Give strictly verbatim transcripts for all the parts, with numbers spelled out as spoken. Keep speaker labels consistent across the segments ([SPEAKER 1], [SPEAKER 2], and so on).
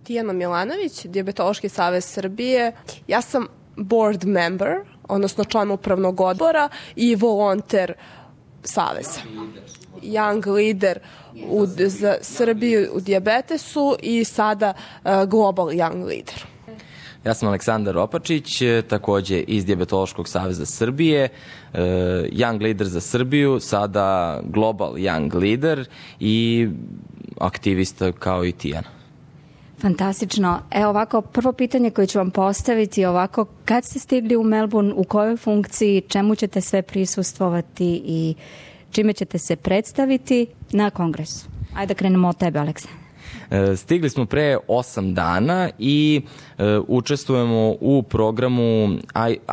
[SPEAKER 1] Tijana Milanović, Dijabetološki savez Srbije. Ja sam board member, odnosno član upravnog odbora i volonter saveza. Young leader u, za Srbiju u dijabetesu i sada uh, global young leader.
[SPEAKER 2] Ja sam Aleksandar Opačić, takođe iz Dijabetološkog saveza Srbije, young leader za Srbiju, sada global young leader i aktivista kao i Tijana.
[SPEAKER 3] Fantastično. Evo ovako, prvo pitanje koje ću vam postaviti ovako, kad ste stigli u Melbourne, u kojoj funkciji, čemu ćete sve prisustvovati i čime ćete se predstaviti na kongresu? Ajde da krenemo od tebe, Aleksandar.
[SPEAKER 2] Stigli smo pre osam dana i e, učestvujemo u programu,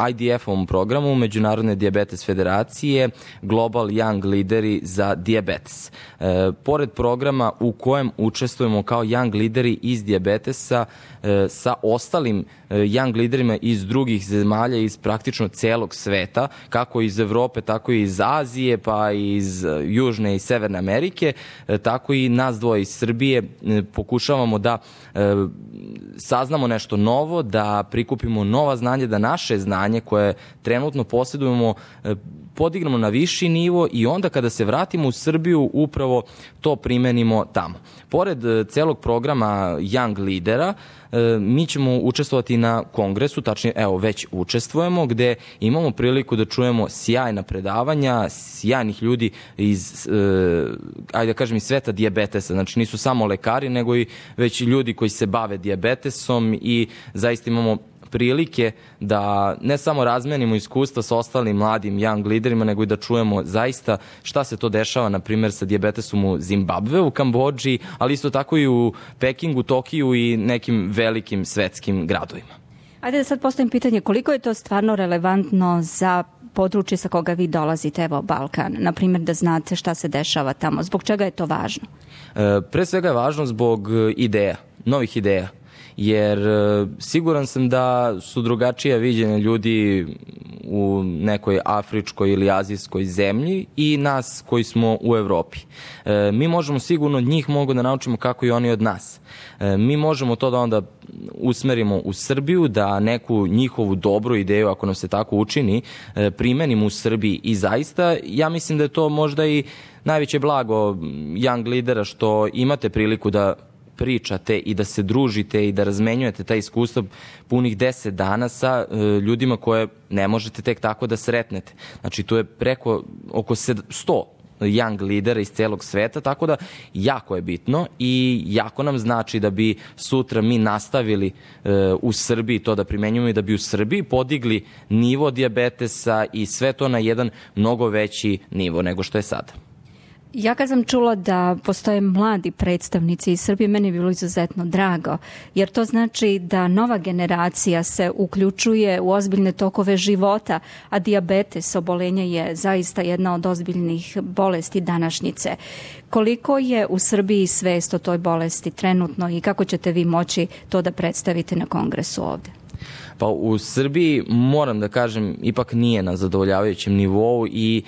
[SPEAKER 2] I D F-ovom programu Međunarodne dijabetes federacije Global Young Lideri za dijabetes. E, pored programa u kojem učestvujemo kao young lideri iz dijabetesa e, sa ostalim e, young liderima iz drugih zemalja, iz praktično celog sveta, kako iz Evrope, tako i iz Azije, pa iz Južne i Severne Amerike, e, tako i nas dvoje iz Srbije e, pokušavamo da e, saznamo nešto novo, da prikupimo nova znanja, da naše znanje koje trenutno posjedujemo e, podignemo na viši nivo i onda kada se vratimo u Srbiju upravo to primenimo tamo. Pored e, celog programa Young Lidera, e, mi ćemo učestvovati na kongresu, tačnije evo već učestvujemo, gde imamo priliku da čujemo sjajna predavanja, sjajnih ljudi iz, e, ajde da kažem, iz sveta dijabetesa, znači nisu samo lekari, nego i već ljudi koji se bave dijabetesom i zaista imamo prilike da ne samo razmenimo iskustva sa ostalim mladim young liderima, nego i da čujemo zaista šta se to dešava, na primjer, sa dijabetesom u Zimbabve, u Kambodži, ali isto tako i u Pekingu, Tokiju i nekim velikim svetskim gradovima.
[SPEAKER 3] Ajde da sad postavim pitanje, koliko je to stvarno relevantno za područje sa koga vi dolazite, evo Balkan, na primjer da znate šta se dešava tamo, zbog čega je to važno?
[SPEAKER 2] E, pre svega je važno zbog ideja, novih ideja. Jer siguran sam da su drugačija viđenja ljudi u nekoj afričkoj ili azijskoj zemlji i nas koji smo u Evropi. E, mi možemo sigurno od njih mogu da naučimo kako i oni od nas. E, mi možemo to da onda usmerimo u Srbiju, da neku njihovu dobru ideju, ako nam se tako učini, e, primenimo u Srbiji i zaista ja mislim da je to možda i najveće blago young lidera što imate priliku da pričate i da se družite i da razmenjujete ta iskustva punih deset dana sa e, ljudima koje ne možete tek tako da sretnete. Znači, tu je preko oko sto young lidera iz celog sveta, tako da jako je bitno i jako nam znači da bi sutra mi nastavili e, u Srbiji to da primenjujemo i da bi u Srbiji podigli nivo dijabetesa i sve to na jedan mnogo veći nivo nego što je sada.
[SPEAKER 3] Ja kad sam čula da postoje mladi predstavnici iz Srbije, meni je bilo izuzetno drago, jer to znači da nova generacija se uključuje u ozbiljne tokove života, a dijabetes, obolenje je zaista jedna od ozbiljnih bolesti današnjice. Koliko je u Srbiji svest o toj bolesti trenutno i kako ćete vi moći to da predstavite na kongresu ovde?
[SPEAKER 2] Pa u Srbiji, moram da kažem, ipak nije na zadovoljavajućem nivou i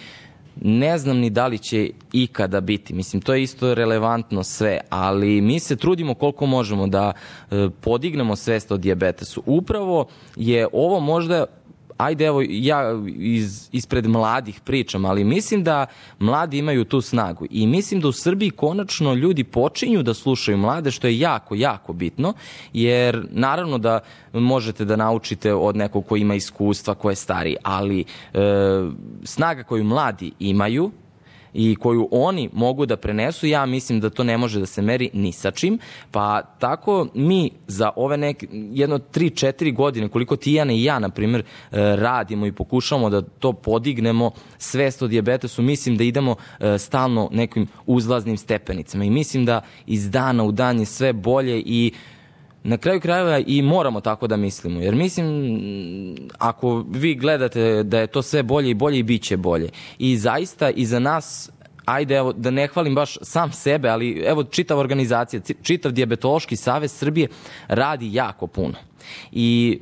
[SPEAKER 2] ne znam ni da li će ikada biti. Mislim, to je isto relevantno sve, ali mi se trudimo koliko možemo da e, podignemo svest o dijabetesu. Upravo je ovo možda, ajde evo ja iz, ispred mladih pričam, ali mislim da mladi imaju tu snagu i mislim da u Srbiji konačno ljudi počinju da slušaju mlade, što je jako, jako bitno, jer naravno da možete da naučite od nekog ko ima iskustva, ko je stariji, ali e, snaga koju mladi imaju i koju oni mogu da prenesu, ja mislim da to ne može da se meri ni sa čim, pa tako mi za ove neke, jedno tri četiri godine, koliko Tijana i ja, na primjer, radimo i pokušamo da to podignemo svest o dijabetesu, mislim da idemo stalno nekim uzlaznim stepenicama i mislim da iz dana u dan je sve bolje i na kraju krajeva i moramo tako da mislimo, jer mislim, ako vi gledate da je to sve bolje i bolje i bit će bolje. I zaista i za nas, ajde evo da ne hvalim baš sam sebe, ali evo čitava organizacija, čitav Dijabetološki savez Srbije radi jako puno. I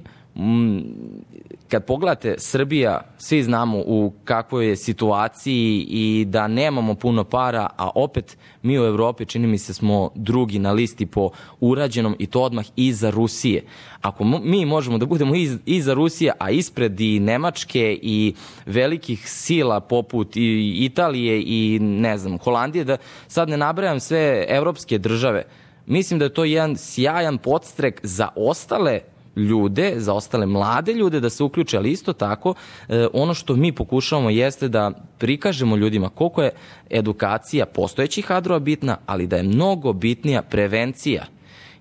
[SPEAKER 2] kad pogledate Srbija, svi znamo u kakvoj je situaciji i da nemamo puno para, a opet mi u Evropi, čini mi se, smo drugi na listi po urađenom i to odmah iza Rusije. Ako mi možemo da budemo iz, iza Rusije, a ispred i Nemačke i velikih sila poput i Italije i ne znam, Holandije, da sad ne nabrajam sve evropske države, mislim da je to jedan sjajan podstrek za ostale ljude, za ostale mlade ljude da se uključe, ali isto tako eh, ono što mi pokušavamo jeste da prikažemo ljudima koliko je edukacija postojećih kadrova bitna, ali da je mnogo bitnija prevencija,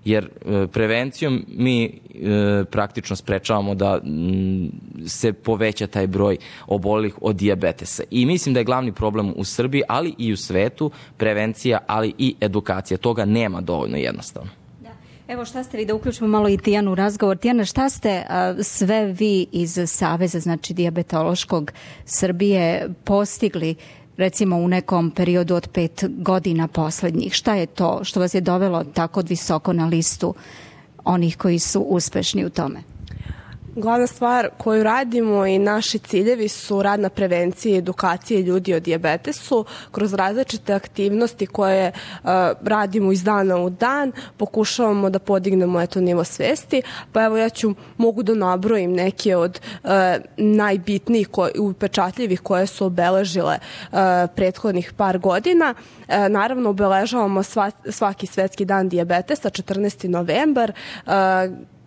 [SPEAKER 2] jer eh, prevencijom mi eh, praktično sprečavamo da m, se poveća taj broj obolelih od dijabetesa. I mislim da je glavni problem u Srbiji, ali i u svetu, prevencija, ali i edukacija. Toga nema dovoljno jednostavno.
[SPEAKER 3] Evo šta ste vi, da uključimo malo i Tijanu u razgovor. Tijana, šta ste a, sve vi iz Saveza, znači dijabetološkog Srbije, postigli recimo u nekom periodu od pet godina poslednjih? Šta je to što vas je dovelo tako visoko na listu onih koji su uspešni u tome?
[SPEAKER 1] Glavna stvar koju radimo i naši ciljevi su rad na prevenciji i edukaciji ljudi o dijabetesu kroz različite aktivnosti koje uh, radimo iz dana u dan, pokušavamo da podignemo eto nivo svesti, pa evo ja ću, mogu da nabrojim neke od uh, najbitnijih i upečatljivih koje su obeležile uh, prethodnih par godina. Uh, naravno obeležavamo sva, svaki svetski dan dijabetesa, četrnaesti novembar, uh,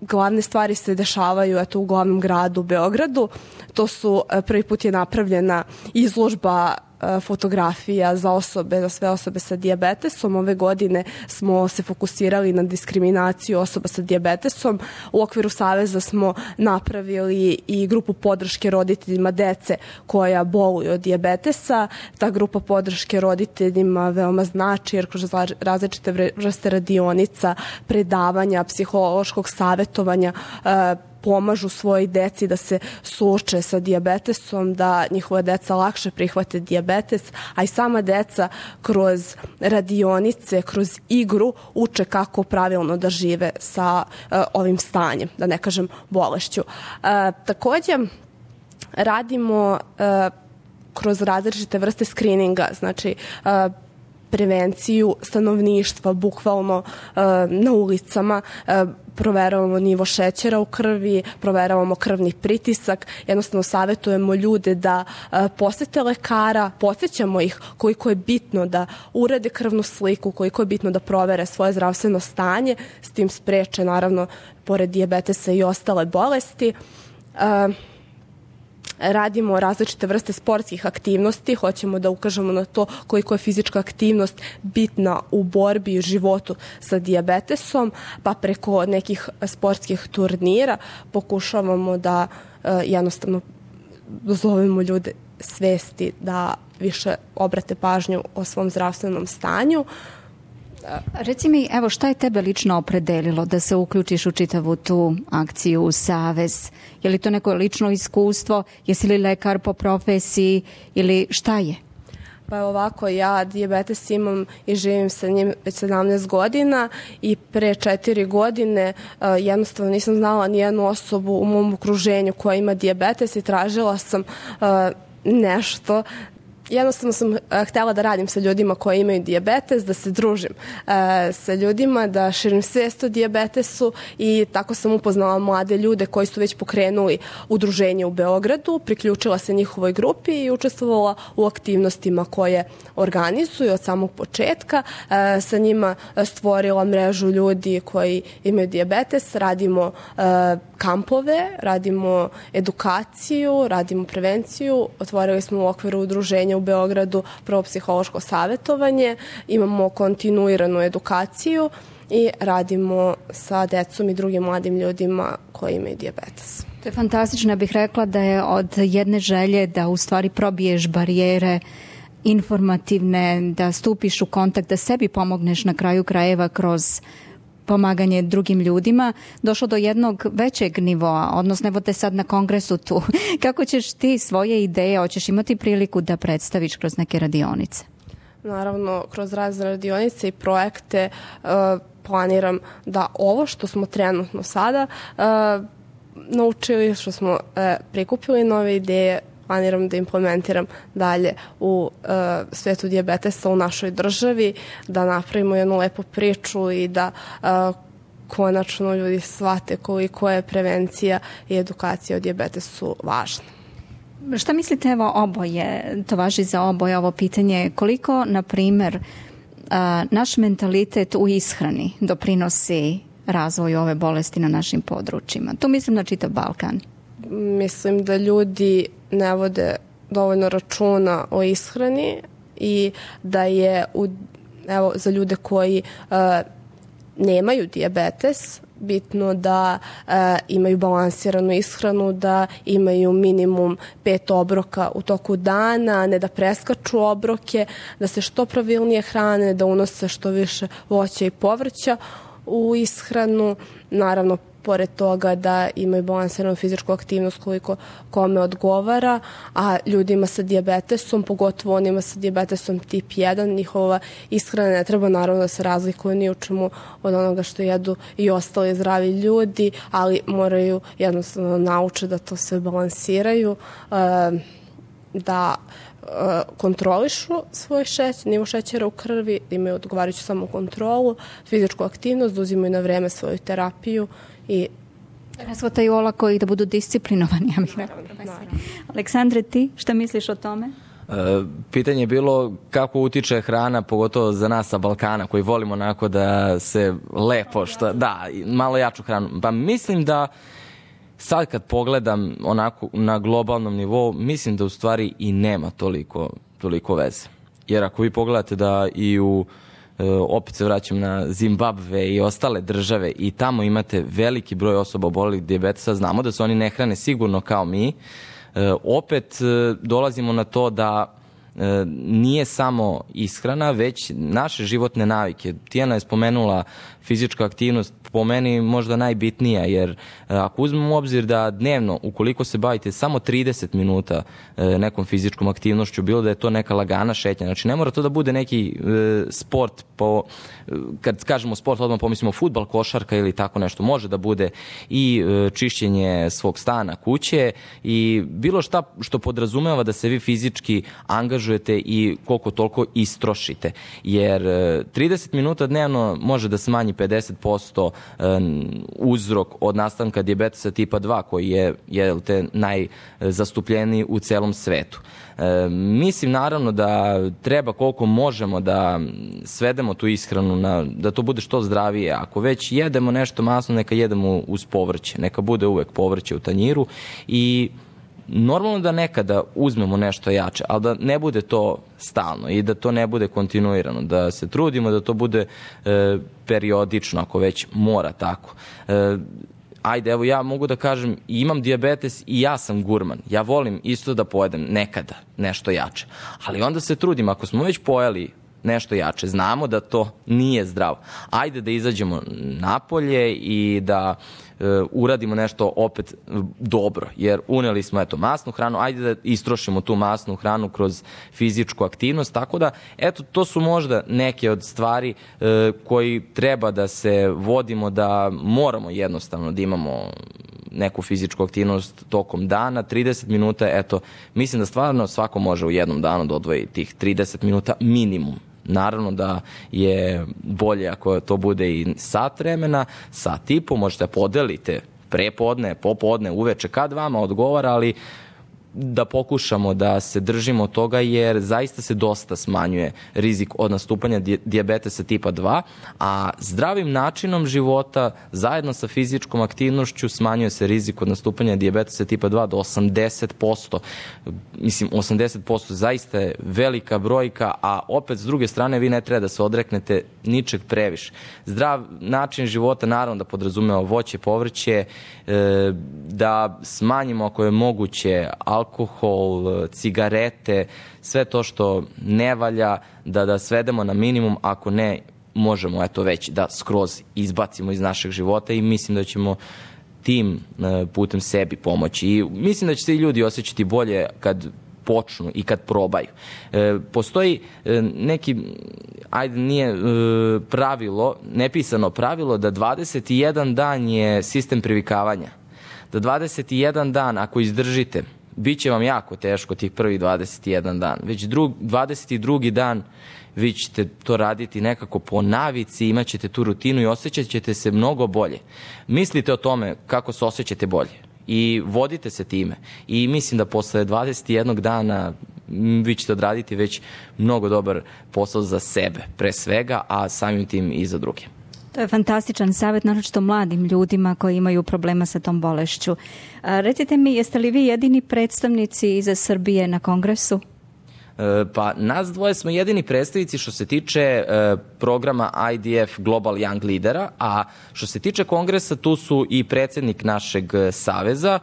[SPEAKER 1] glavne stvari se dešavaju eto, u glavnom gradu Beogradu. To su, prvi put je napravljena izložba fotografija za osobe, za sve osobe sa dijabetesom. Ove godine smo se fokusirali na diskriminaciju osoba sa dijabetesom. U okviru Saveza smo napravili i grupu podrške roditeljima dece koja boluju od dijabetesa. Ta grupa podrške roditeljima veoma znači jer kroz različite vrste radionica, predavanja, psihološkog savjetovanja pomažu svojoj deci da se suoče sa dijabetesom, da njihova deca lakše prihvate dijabetes, a i sama deca kroz radionice, kroz igru uče kako pravilno da žive sa uh, ovim stanjem, da ne kažem bolešću. Uh, takođe, radimo uh, kroz različite vrste skrininga, znači uh, prevenciju stanovništva, bukvalno uh, na ulicama, uh, proveravamo nivo šećera u krvi, proveravamo krvni pritisak, jednostavno savjetujemo ljude da uh, posete lekara, podsjećamo ih koliko je bitno da urade krvnu sliku, koliko je bitno da provere svoje zdravstveno stanje, s tim spreče naravno pored dijabetesa i ostale bolesti. Uh, Radimo različite vrste sportskih aktivnosti, hoćemo da ukažemo na to koliko je fizička aktivnost bitna u borbi i životu sa dijabetesom, pa preko nekih sportskih turnira pokušavamo da uh, jednostavno dozovemo ljude svesti da više obrate pažnju o svom zdravstvenom stanju.
[SPEAKER 3] Reci mi, evo, šta je tebe lično opredelilo da se uključiš u čitavu tu akciju u Savez? Je li to neko lično iskustvo? Jesi li lekar po profesiji ili šta je?
[SPEAKER 1] Pa ovako, ja dijabetes imam i živim sa njim već sedamnaest godina i pre četiri godine uh, jednostavno nisam znala ni jednu osobu u mom okruženju koja ima dijabetes i tražila sam uh, nešto. Jednostavno sam uh, htjela da radim sa ljudima koji imaju dijabetes, da se družim uh, sa ljudima, da širim svijest o dijabetesu i tako sam upoznala mlade ljude koji su već pokrenuli udruženje u Beogradu, priključila se njihovoj grupi i učestvovala u aktivnostima koje organizuju od samog početka. Uh, sa njima stvorila mrežu ljudi koji imaju dijabetes, radimo uh, kampove, radimo edukaciju, radimo prevenciju, otvorili smo u okviru udruženja u Beogradu prvo psihološko savjetovanje, imamo kontinuiranu edukaciju i radimo sa decom i drugim mladim ljudima koji imaju dijabetes.
[SPEAKER 3] To je fantastično, ja bih rekla da je od jedne želje da u stvari probiješ barijere informativne, da stupiš u kontakt, da sebi pomogneš na kraju krajeva kroz pomaganje drugim ljudima, došlo do jednog većeg nivoa, odnosno evo te sad na kongresu tu. Kako ćeš ti svoje ideje, hoćeš imati priliku da predstaviš kroz neke radionice?
[SPEAKER 1] Naravno, kroz razne radionice i projekte uh, planiram da ovo što smo trenutno sada uh, naučili, što smo e, prikupili nove ideje, planiram da implementiram dalje u e, svetu dijabetesa u našoj državi, da napravimo jednu lepu priču i da e, konačno ljudi shvate koliko je prevencija i edukacija o dijabetesu važna.
[SPEAKER 3] Šta mislite, evo oboje, to važi za oboje ovo pitanje, koliko, na primjer, naš mentalitet u ishrani doprinosi razvoju ove bolesti na našim područjima? Tu mislim na čitav Balkan.
[SPEAKER 1] Mislim da ljudi ne vode dovoljno računa o ishrani i da je u, evo, za ljude koji uh, nemaju dijabetes bitno da uh, imaju balansiranu ishranu, da imaju minimum pet obroka u toku dana, ne da preskaču obroke, da se što pravilnije hrane, da unose što više voća i povrća u ishranu, naravno pored toga da imaju balansiranu fizičku aktivnost koliko kome odgovara, a ljudima sa dijabetesom, pogotovo onima sa dijabetesom tip jedan, njihova ishrana ne treba naravno da se razlikuje ni u čemu od onoga što jedu i ostali zdravi ljudi, ali moraju jednostavno nauče da to sve balansiraju, da kontrolišu svoj šećer, nivo šećera u krvi, imaju odgovarajuću samo kontrolu, fizičku aktivnost, da uzimaju na vreme svoju terapiju i
[SPEAKER 3] razvotaju olako i da budu disciplinovani. Ja bih rekla. Aleksandre, ti šta misliš o tome?
[SPEAKER 2] E, pitanje je bilo kako utiče hrana, pogotovo za nas sa Balkana, koji volimo onako da se lepo, što, da, malo jaču hranu. Pa mislim da sad kad pogledam onako na globalnom nivou, mislim da u stvari i nema toliko, toliko veze. Jer ako vi pogledate da i u, opet se vraćam na Zimbabve i ostale države i tamo imate veliki broj osoba obolelih dijabetesa, znamo da se oni ne hrane sigurno kao mi, opet dolazimo na to da nije samo ishrana, već naše životne navike. Tijana je spomenula fizička aktivnost, po meni možda najbitnija, jer ako uzmemo u obzir da dnevno, ukoliko se bavite samo trideset minuta nekom fizičkom aktivnošću, bilo da je to neka lagana šetnja, znači ne mora to da bude neki sport, po, kad kažemo sport, odmah pomislimo fudbal, košarka ili tako nešto, može da bude i čišćenje svog stana, kuće i bilo šta što podrazumeva da se vi fizički angažujete i koliko toliko istrošite, jer trideset minuta dnevno može da smanji pedeset posto uzrok od nastanka dijabetesa tipa dva, koji je, je te, najzastupljeniji u celom svetu. E, mislim naravno da treba koliko možemo da svedemo tu ishranu, na, da to bude što zdravije. Ako već jedemo nešto masno, neka jedemo uz povrće, neka bude uvek povrće u tanjiru i normalno da nekada uzmemo nešto jače, ali da ne bude to stalno i da to ne bude kontinuirano, da se trudimo da to bude e, periodično, ako već mora tako. E, ajde, evo ja mogu da kažem, imam dijabetes i ja sam gurman. Ja volim isto da pojedem nekada nešto jače, ali onda se trudim, ako smo već pojeli nešto jače, znamo da to nije zdravo. Ajde da izađemo napolje i da e, uradimo nešto opet dobro, jer uneli smo eto masnu hranu, ajde da istrošimo tu masnu hranu kroz fizičku aktivnost, tako da eto to su možda neke od stvari e, koji treba da se vodimo, da moramo jednostavno da imamo neku fizičku aktivnost tokom dana, trideset minuta, eto, mislim da stvarno svako može u jednom danu da odvoji tih trideset minuta minimum. Naravno da je bolje ako to bude i sat vremena, sat i po, možete podelite prepodne, popodne, uveče, kad vama odgovara, ali da pokušamo da se držimo toga, jer zaista se dosta smanjuje rizik od nastupanja dijabetesa tipa dva, a zdravim načinom života zajedno sa fizičkom aktivnošću smanjuje se rizik od nastupanja dijabetesa tipa dva do osamdeset posto. Mislim, osamdeset posto zaista je velika brojka, a opet s druge strane vi ne treba da se odreknete ničeg previše. Zdrav način života naravno da podrazumeva voće, povrće, da smanjimo ako je moguće alkohol, cigarete, sve to što ne valja, da, da svedemo na minimum, ako ne, možemo eto već da skroz izbacimo iz našeg života i mislim da ćemo tim putem sebi pomoći. I mislim da će se i ljudi osjećati bolje kad počnu i kad probaju. E, postoji e, neki, ajde nije e, pravilo, nepisano pravilo da dvadeset jedan dan je sistem privikavanja. da dvadeset jedan dan, ako izdržite, bit će vam jako teško tih prvih dvadeset jedan dan. Već drug, dvadeset drugi dan vi ćete to raditi nekako po navici, imat ćete tu rutinu i osjećat ćete se mnogo bolje. Mislite o tome kako se osjećate bolje i vodite se time. I mislim da posle dvadeset jednog dana vi ćete odraditi već mnogo dobar posao za sebe, pre svega, a samim tim i za druge.
[SPEAKER 3] To je fantastičan savjet, naročito mladim ljudima koji imaju problema sa tom bolešću. A, recite mi, jeste li vi jedini predstavnici iz Srbije na kongresu?
[SPEAKER 2] Pa nas dvoje smo jedini predstavnici što se tiče e, programa I D F Global Young Leadera, a što se tiče kongresa tu su i predsjednik našeg saveza,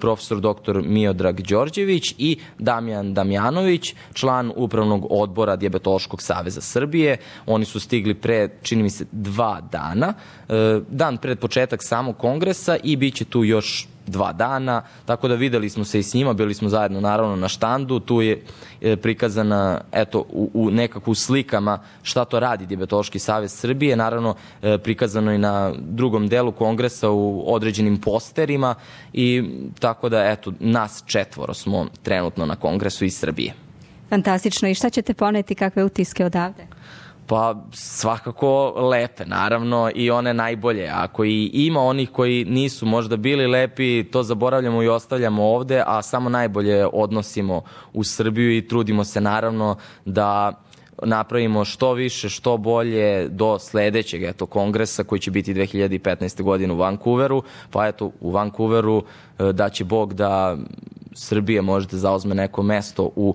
[SPEAKER 2] profesor doktor Miodrag Đorđević i Damjan Damjanović, član upravnog odbora Dijabetološkog saveza Srbije. Oni su stigli pre, čini mi se, dva dana, e, dan pred početak samog kongresa i bit će tu još dva dana, tako da videli smo se i s njima, bili smo zajedno naravno na štandu, tu je prikazana eto u, u nekakvu slikama šta to radi Dijabetološki savez Srbije, naravno prikazano i na drugom delu kongresa u određenim posterima i tako da eto nas četvoro smo trenutno na kongresu iz Srbije.
[SPEAKER 3] Fantastično, i šta ćete poneti, kakve utiske odavde?
[SPEAKER 2] Pa svakako lepe, naravno, i one najbolje. Ako i ima onih koji nisu možda bili lepi, to zaboravljamo i ostavljamo ovde, a samo najbolje odnosimo u Srbiju i trudimo se naravno da napravimo što više, što bolje do sledećeg eto, kongresa koji će biti dve hiljade petnaeste. godine u Vancouveru. Pa eto, u Vancouveru da će Bog da Srbija možda zauzme neko mesto u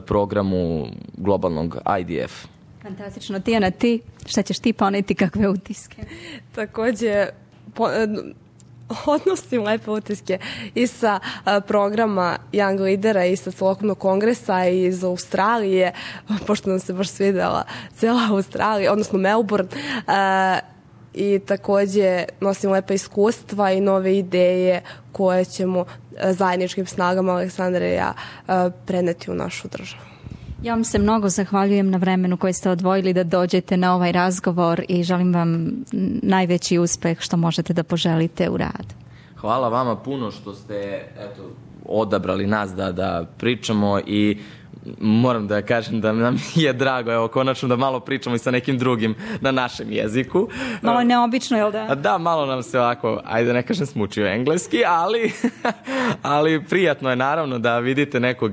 [SPEAKER 2] programu globalnog I D F.
[SPEAKER 3] Fantastično. Tijana, ti, šta ćeš ti poneti, kakve utiske?
[SPEAKER 1] Takođe, po, odnosim lepe utiske i sa a, programa Young Leadera i sa celokupnog kongresa i iz Australije, pošto nam se baš svidela cela Australija, odnosno Melbourne, a, i takođe nosim lepa iskustva i nove ideje koje ćemo a, zajedničkim snagama Aleksandra i ja a, preneti u našu državu.
[SPEAKER 3] Ja vam se mnogo zahvaljujem na vremenu koje ste odvojili da dođete na ovaj razgovor i želim vam najveći uspeh što možete da poželite u radu.
[SPEAKER 2] Hvala vama puno što ste eto, odabrali nas da, da pričamo i moram da kažem da nam je drago, evo, konačno da malo pričamo i sa nekim drugim na našem jeziku.
[SPEAKER 3] Malo je neobično, jel da?
[SPEAKER 2] Da, malo nam se ovako, ajde ne kažem smučio engleski, ali, ali prijatno je naravno da vidite nekog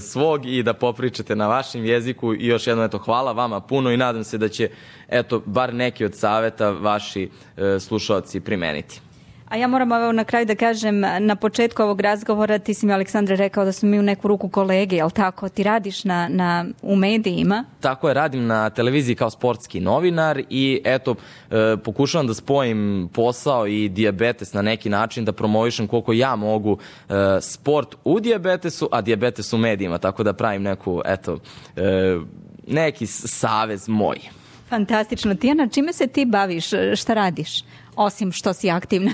[SPEAKER 2] svog i da popričate na vašem jeziku i još jedno, eto, hvala vama puno i nadam se da će, eto, bar neki od saveta vaši e, slušalci primeniti.
[SPEAKER 3] A ja moram evo na kraju da kažem, na početku ovog razgovora ti si mi, Aleksandre, rekao da smo mi u neku ruku kolege, jel tako? Ti radiš na, na, u medijima?
[SPEAKER 2] Tako je, radim na televiziji kao sportski novinar i eto, e, pokušavam da spojim posao i dijabetes na neki način, da promovišem koliko ja mogu e, sport u dijabetesu, a dijabetes u medijima, tako da pravim neku, eto, e, neki savez moj.
[SPEAKER 3] Fantastično. Tijana, čime se ti baviš? Šta radiš? Osim što si aktivna.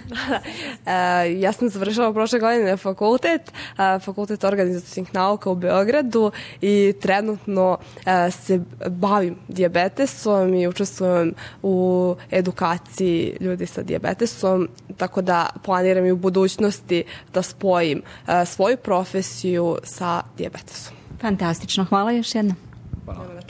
[SPEAKER 1] e, ja sam završila prošle godine fakultet, e, fakultet organizacijskih nauka u Beogradu i trenutno e, se bavim dijabetesom i učestvujem u edukaciji ljudi sa dijabetesom, tako da planiram i u budućnosti da spojim e, svoju profesiju sa dijabetesom.
[SPEAKER 3] Fantastično. Hvala još jednom.
[SPEAKER 2] Hvala.